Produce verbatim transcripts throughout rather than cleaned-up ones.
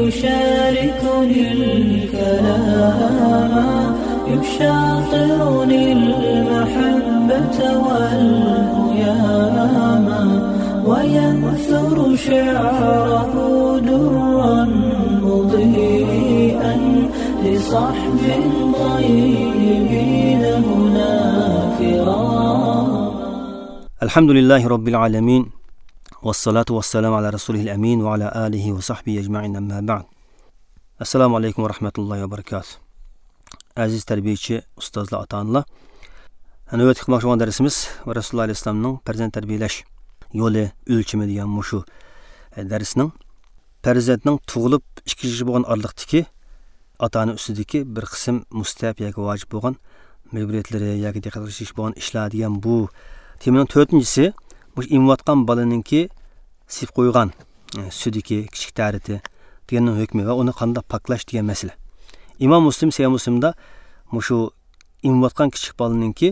يشاركني الكلام، يشاطرني المحبة والهيام، وينثر شعره درا مضيئا لصحب طيبين هنا كرام. الحمد لله رب العالمين، والصلاة والسلام على رسوله الأمين وعلى آله وصحبه أجمعين، أما بعد. السلام عليكم ورحمة الله وبركاته. ئەزىز تەربىيەچى، ئۇستازلار، ئاتا-ئانىلار. نۆۋەتتە قىلماقچى بولغان دەرسىمىز رەسۇلۇللاھ ئەلەيھىسسالامنىڭ پەرزەنت تەربىيەلەش يولى، ئۆلچىمى دېگەن مۇشۇ دەرسنىڭ پەرزەنتنىڭ تۇغۇلۇپ ئىككى يىلغىچە بولغان ئارىلىقتىكى ئاتا-ئانا ئۈستىدىكى بىر قىسىم مۇستەھەپ ياكى ۋاجىپ بولغان مەجبۇرىيەتلىرى ياكى دىققەت قىلىش تېگىشلىك بولغان ئىشلار دېگەن بۇ تېمىنىڭ تۆتىنچىسى، مۇشۇ ئېمىۋاتقان بالىنىڭكى سېپىپ قويغان، ئە، سۈيدۈكى، كىچىك تارىتى دېگەننىڭ ھۆكمى ۋە ئۇنى قانداق پاكلاش دېگەن مەسىلە. ئىمام مۇسلىم، سەھىھ مۇسلىمدا مۇشۇ ئېمىۋاتقان كىچىك بالىنىڭكى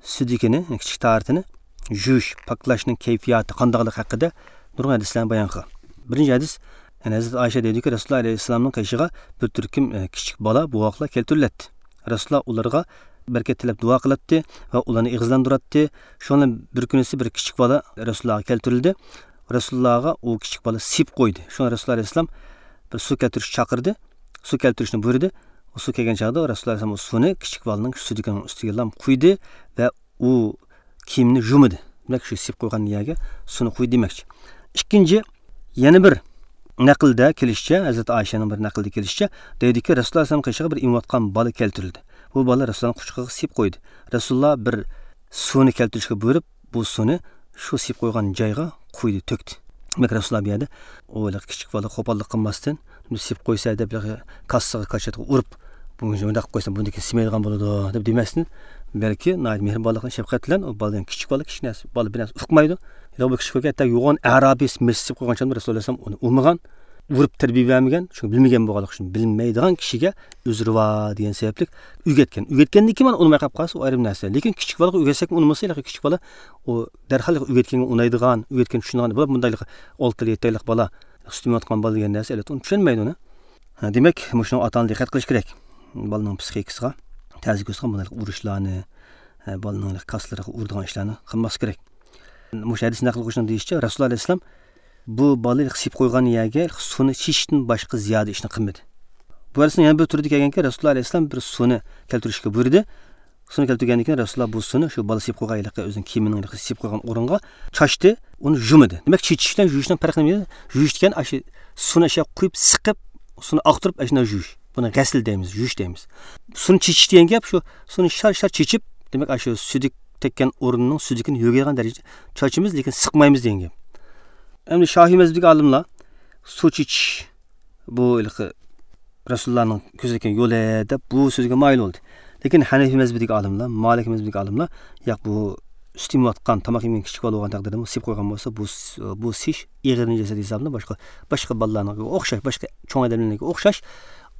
سۈيدۈكىنى، كىچىك تارىتىنى يۇيۇش، پاكلاشنىڭ كەيپىياتى قانداقلىقى ھەققىدە نۇرغۇن ھەدىسلەرنى بايان قىلغان. بىرىنچى ھەدىس، يەنى ھەزرىتى ئايشە دەيدۇكى، رەسۇلۇللاھ ئەلەيھىسسالامنىڭ قېشىغا بىر تۈركۈم، ئە، كىچىك بالا، بوۋاقلار كەلتۈرۈلەتتى. رەسۇلۇللاھ ئۇلارغا بەرىكەت تىلەپ دۇئا قىلاتتى ۋە ئۇلارنى ئېغىزلاندۇراتتى. شۇنىڭ بىلەن بىر كۈنىسى بىر كىچىك بالا رەسۇلۇللاھقا كەلتۈرۈلدى. رەسۇلۇللاھقا ئۇ كىچىك بالا سېپىپ قويدى. شۇڭا رەسۇلۇللاھ ئەلەيھىسسالام بىر سۇ كەلتۈرۈشكە چاقىردى. سۇ كەلتۈرۈشنى بۇيرۇدى. ئۇ سۇ كەلگەن چاغدا رەسۇلۇللاھ ئەلەيھىسسالام ئۇ سۇنى كىچىك بالىنىڭ سۈيدۈكىنىڭ ئۈستىگە لام قۇيدى ۋە ئۇ كىيىمنى يۇمىدى. دېمەك، شۇ سېپىپ قويغان يەرگە سۇنى قۇيدى دېمەكچى. ئىككىنچى، يەنە بىر نەقىلدە كېلىشىچە، ھەزرىتى ئائىشەنىڭ بىر نەقلىدە كېلىشىچە، دەيدۇكى، رەسۇلۇللاھ ئەلەيھىسسالام قېشىغا بىر ئېمىۋاتقان بالا كەلتۈرۈلدى. بۇ بالا رەسۇلۇللاھنىڭ قۇچىقىغا سېپىپ قويدى. رەسۇلۇللاھ بىر سۇنى كەلتۈرۈشكە بۇيرۇپ، بۇ سۇنى شۇ سېپىپ قويغان جايغا قۇيدى، تۆكتى. دېمەك، رەسۇلۇللاھ بۇ يەردە ئۇ ھېلىقى كىچىك بالا قوپاللىق قىلماستىن، بۇنى سېپىپ قويسا دەپ، ھېلىقى كاسسىغا، كاچاتقا ئۇرۇپ، بۇنى مۇنداق قىلسام بۇنىڭدىن كېيىن سېمەيدىغان بولىدۇ دەپ دېمەستىن، بەلكى ناھايىتى مېھرىبانلىق بىلەن، شەپقەت بىلەن ئۇ بالىنى، كىچىك بالا، كىچىك نەرسە، بالا بىر نەرسە ئۇقمايدۇ. ھېلىقى بىر كىچىك بالا ھەتتا يوغان ئەرابىي مېسىز سېپىپ قويغان چاغدا رەسۇلۇللاھ ئەلەيھىسسالام ئۇنى ئۇرمىغان، ئۇرۇپ تەربىيە بەرمىگەن. چۈنكى بىلمىگەن بولغانلىقى ئۈچۈن، بىلمەيدىغان كىشىگە ئۆزرى بار دېگەن سەۋەبلىك ئۆگەتكەن. ئۆگەتكەندىن كېيىن مانا ئۇنىماي قېلىپ قالسا، ئۇ ئايرىم نەرسە. لېكىن كىچىك بالىغا ئۆگەتسەك ئۇنىمىسا، ھېلىقى كىچىك بالا ئۇ دەرھال ئۆگەتكەنگە ئۇنايدىغان، ئۆگەتكەن چۈشىنىدىغان، بۇلار مۇنداق ئالتە يىل، يەتتە يىللىق بالا، سۈت ئېمىۋاتقان بالا دېگەن نەرسە، ئەلۋەتتە، ئۇنى چۈشەنمەيدۇ ئۇنى. ھە، دېمەك، مۇشۇنىڭغا ئاتا-ئانا دىققەت قىلىش كېرەك. بالىنىڭ پسىخىكىسىغا تەسىر كۆرسىتىدىغان بۇنداق ئۇرۇشلارنى، ھە، بالىنىڭ كاسىلىرىغا ئۇرىدىغان ئىشلارنى قىلماسلىق كېرەك. مۇشۇ ھەدىس نەقىل قىلغۇچىنىڭ دېيىشىچە، رەسۇلۇللاھ ئەلەيھىسسالام بۇ بالىنى سېپىپ قويغان يەرگە سۇنى چېچىشتىن باشقا زىيادە ئىشنى قىلمىدى. بۇ ھەدىسنىڭ يەنە بىر تۈرىدە كەلگەنكى، رەسۇلۇللاھ ئەلەيھىسسالام بىر سۇنى كەلتۈرۈشكە بۇيرۇدى. سۇنى كەلتۈرگەندىن كېيىن رەسۇلۇللاھ بۇ سۇنى شۇ بالا سېپىپ قويغان ھېلىقى ئۆزىنىڭ كىيىمىنىڭ ھېلىقى سېپىپ قويغان ئورۇنغا چاچتى، ئۇنى يۇمىدى. دېمەك، چېچىش بىلەن يۇيۇشنىڭ پەرقى نېمە؟ يۇيۇش دېگەن ئاشۇ سۇنى ئاشۇ قۇيۇپ سىقىپ، سۇنى ئاقتۇرۇپ ئاشۇنداق يۇيۇش. بۇنى غەسىل دەيمىز، يۇيۇش دەيمىز. سۇنى چېچىش دېگەن گەپ شۇ، سۇنى شار-شار چېچىپ، دېمەك، ئاشۇ سۈيدۈك تەگكەن ئورۇننىڭ سۈيدۈكىنى يۆگەيدىغان دەرىجىدە چاچىمىز، لېكىن سىقمايمىز دېگەن گەپ. ئەمدى شافىي مەزھىپىدىكى ئالىملار سۇ چېچىش بۇ ھېلىقى رەسۇلۇللانىڭ كۆرسەتكەن يولى دەپ بۇ سۆزگە مايىل بولدى. لېكىن ھەنەفىي مەزھىپىدىكى ئالىملار، مالىكىي مەزھىپىدىكى ئالىملار، ياق، بۇ سۈت ئېمىۋاتقان، تاماق يېمىگەن كىچىك بالا بولغان تەقدىردىمۇ سېپىپ قويغان بولسا، بۇ س-، بۇ سېيىش ئېغىر نىجاسەت ھېسابلىنىپ، باشقا، باشقا بالىلارنىڭكىگە ئوخشاش، باشقا چوڭ ئادەملەرنىڭكىگە ئوخشاش،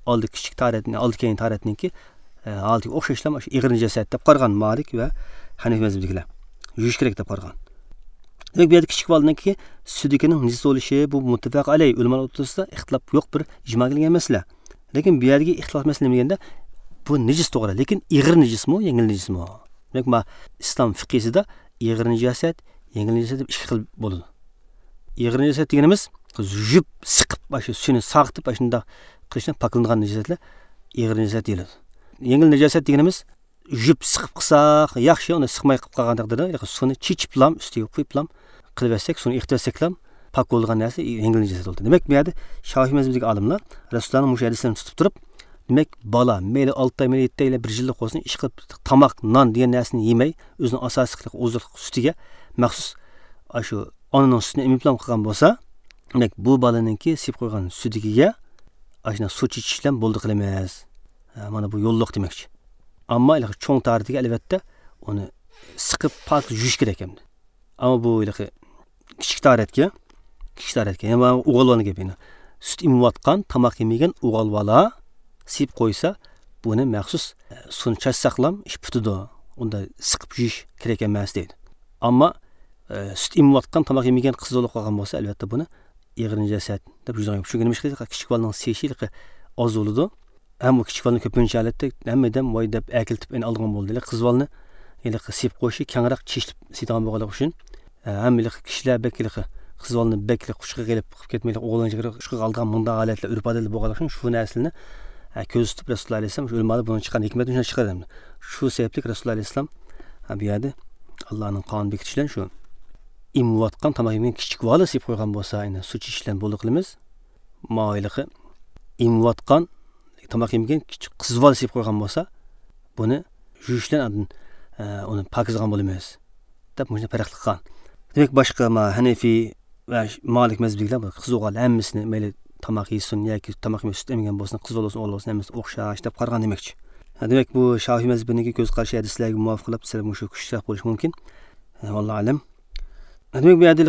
ئالدى كىچىك تارەتنى، ئالدى كەينى تارەتنىڭكى، ئە، ھالىتىگە ئوخشاشلا ئاشۇ ئېغىر نىجاسەت دەپ قارىغان مالىك ۋە ھەنەفىي مەزھىپىدىكىلەر. يۇيۇش كېرەك دەپ قارىغان. دېمەك، بۇ يەردە كىچىك بالىنىڭكى سۈيدۈكىنىڭ نىجىس بولۇشى، بۇ مۇتتەپەق ئەلەيھ، ئۆلىمالار ئوتتۇرىسىدا ئىختىلاپ يوق بىر ئىجما كەلگەن مەسىلە. لېكىن بۇ يەردىكى ئىختىلاپ مەسىلە نېمە دېگەندە، بۇ نىجىس توغرا، لېكىن ئېغىر نىجىسمۇ، يەڭگىل نىجىسمۇ؟ دېمەك، ما ئىسلام فىقھىسىدا ئېغىر نىجاسەت، يەڭگىل نىجاسەت دەپ ئىككى خىل بولىدۇ. ئېغىر نىجاسەت دېگىنىمىز يۇيۇپ، سىقىپ، ئاشۇ سۈيىنى ساغىتىپ، ئاشۇنداق قىلىشتىن پاكلىنىدىغان نىجاسەتلەر ئېغىر نىجاسەت دېيىلىدۇ. يەڭگىل نىجاسەت دېگىنىمىز يۇيۇپ سىقىپ قىلساق ياخشى، ئۇنى سىقماي قىلىپ قالغان تەقدىردە، ياكى سۇنى چېچىپلام، ئۈستىگە قۇيۇپلام قىلىۋەتسەك، سۇنى ئېقىتىۋەتسەكلام، پاك بولىدىغان نەرسە يەڭگىل نىجاسەت بولدى. دېمەك، بۇ يەردە شافىي مەزھىپىدىكى ئالىملار رەسۇلۇللانىڭ مۇشۇ ھەدىسلىرىنى تۇتۇپ تۇرۇپ، دېمەك، بالا مەيلى ئالتە ئاي، مەيلى يەتتە ئاي، بىر يىللىق بولسۇن، ئىشقىلىپ تاماق، نان دېگەن نەرسىنى يېمەي، ئۆزىنىڭ ئاساسلىق ئوزۇقلۇق سۈتىگە مەخسۇس ئاشۇ ئانىنىڭ سۈتىنى ئېمىپلام قىلغان بولسا، دېمەك، بۇ بالىنىڭكى سېپىپ قويغان سۈيدۈكىگە ئاشۇنداق سۇ چېچىش بىلەن بولدى قىلىمىز. ھە، مانا بۇ يوللۇق دېمەكچى. ئەمما ھېلىقى چوڭ تارىتىگە، ئەلۋەتتە، ئۇنى سىقىپ پاك يۇيۇش كېرەك ئەمدى. ئەمما بۇ ھېلىقى كىچىك تارەتكە، كىچىك تارەتكە، يەنە ئوغۇل بالىنىڭ گېپى. سۈت ئېمىۋاتقان، تاماق يېمىگەن ئوغۇل بالا سېپىپ قويسا، بۇنى مەخسۇس، ئە، سۇنى چاچساقلام ئىش پۈتىدۇ. ئۇندا سىقىپ يۇيۇش كېرەك ئەمەس دەيدۇ. ئەمما، ئە، سۈت ئېمىۋاتقان، تاماق يېمىگەن قىز بولۇپ قالغان بولسا، ئەلۋەتتە، بۇنى ئېغىر نىجاسەت دەپ يۈزىگە يوپۇشۇپ. نېمىشقا دېسە، كىچىك بالىنىڭ سىيىشى ھېلىقى ئاز بولىدۇ. ھەم ئۇ كىچىك بالىنى كۆپىنچە ھالەتتە ھەممە ئادەم ۋاي دەپ ئەكېلىپ ئەنە ئالىدىغان بولدى. ھېلىقى قىز بالىنى ھېلىقى سىيىپ قويۇشى، كەڭرەك چېچىلىپ سىيىدىغان بولغانلىقى ئۈچۈن، ھەم ھېلىقى كىشىلەر بەك ھېلىقى قىز بالىنى بەك ھېلىقى قۇچىقىغا ئېلىپ قىلىپ كەتمەي، ئوغلانچىغا قۇچىقىغا ئالىدىغان مۇنداق ھالەتلەر، ئۆرپ ئادەتلەر بولغانلىقى ئۈچۈن شۇ نەرسىلەرنى، ھە، كۆزىتىپ رەسۇلۇللا ئەلەيھىسسالام شۇ ئۆلىمالار بۇنىڭ چىققان ھېكمەتنى شۇنداق چىقىرىدۇ. شۇ سەۋەبلىك رەسۇلۇللا ئەلەيھىسسالام، ھە، بۇ يەردە ئاللانىڭ قانۇن بېكىتىشى بىلەن شۇ ئېمىۋاتقان، تاماق يېمىگەن كىچىك بالا سىيىپ قويغان بولسا، يەنى سۇ چىشىش بىلەن بولدى قىلىمىز. ماۋۇ ھېلىقى ئېمىۋاتقان، تاماق يېمىگەن كىچىك قىز بالا سىيىپ قويغان بولسا، بۇنى يۇيۇش بىلەن ئاندىن، ئە، ئۇنى پاكىزلىغان بولىمىز، دەپ مۇشۇنداق پەرقلىق قىلغان. دېمەك، باشقا ما ھەنىفىي ۋە مالىك مەزھىپىدىكىلەر بۇ قىز ئوغۇل ھەممىسىنى، مەيلى تاماق يېسۇن ياكى تاماق يېمەي سۈت ئەمگەن بولسۇن، قىز بالا بولسۇن، ئوغۇل بولسۇن، ھەممىسى ئوخشاش دەپ قارىغان دېمەكچى. دېمەك، بۇ شافىي مەزھىپىنىڭكى كۆز قارىشى ھەدىسلەرگە مۇۋاپىق قىلىپ سەل مۇشۇ كۈچلۈك بولۇشى مۇمكىن. ۋاللاھۇ ئەلەم. دېمەك، بۇ يەردە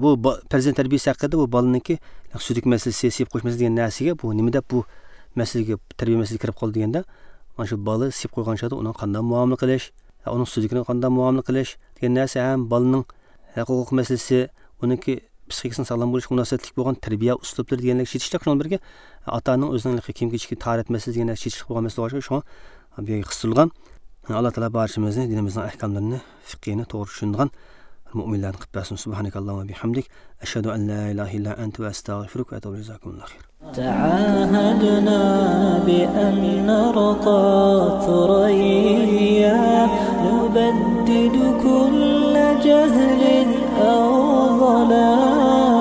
بۇ با-، پەرزەنت تەربىيەسى ھەققىدە بۇ بالىنىڭكى سۈيدۈك مەسىلىسى، سىيىپ قويۇش مەسىلىسى دېگەن نەرسىگە، بۇ نېمە دەپ بۇ مەسىلىگە، تەربىيە مەسىلىسىگە كىرىپ قالدى دېگەندە، مانا شۇ بالا سىيىپ قويغان چاغدا ئۇنىڭ قانداق مۇئامىلە قىلىش، ئۇنىڭ سۈيدۈكىنى قانداق مۇئامىلە قىلىش دېگەن نەرسە ھەم بالىنىڭ ھەقىقىي مەسىلىسى، ئۇنىڭكى پسىخىكىسىنىڭ ساغلام بولۇشىغا مۇناسىۋەتلىك بولغان تەربىيە ئۇسلۇبلىرى دېگەنلەرگە چېتىشلىق. شۇنىڭ بىرگە ئاتا-ئانىنىڭ ئۆزىنىڭ كىيىم-كېچىكى تاھارەت مەسىلىسى دېگەنلەرگە چېتىشلىق بولغان مەسىلە بولغاچقا، شۇڭا بۇ يەرگە قىستۇرۇلغان. ئاللا تائالا بارچىمىزنى دىنىمىزنىڭ ئەھكاملىرىنى، فىقھىنى توغرا چۈشىنىدىغان مۆمىنلەردىن قىلىپ بەرسۇن. سۇبھانەكەللاھۇممە بىھەمدىك، ئەشھەدۇ ئەن لا ئىلاھە ئىللا ئەنتە ۋە ئەستەغفىرۇك ۋە ئەتۇبۇ ئىلەيك. جزاكۇمۇللاھۇ خەيرەن. تعاهدنا بأن نرقى ثريا، نبدد كل جهل أو ضلال.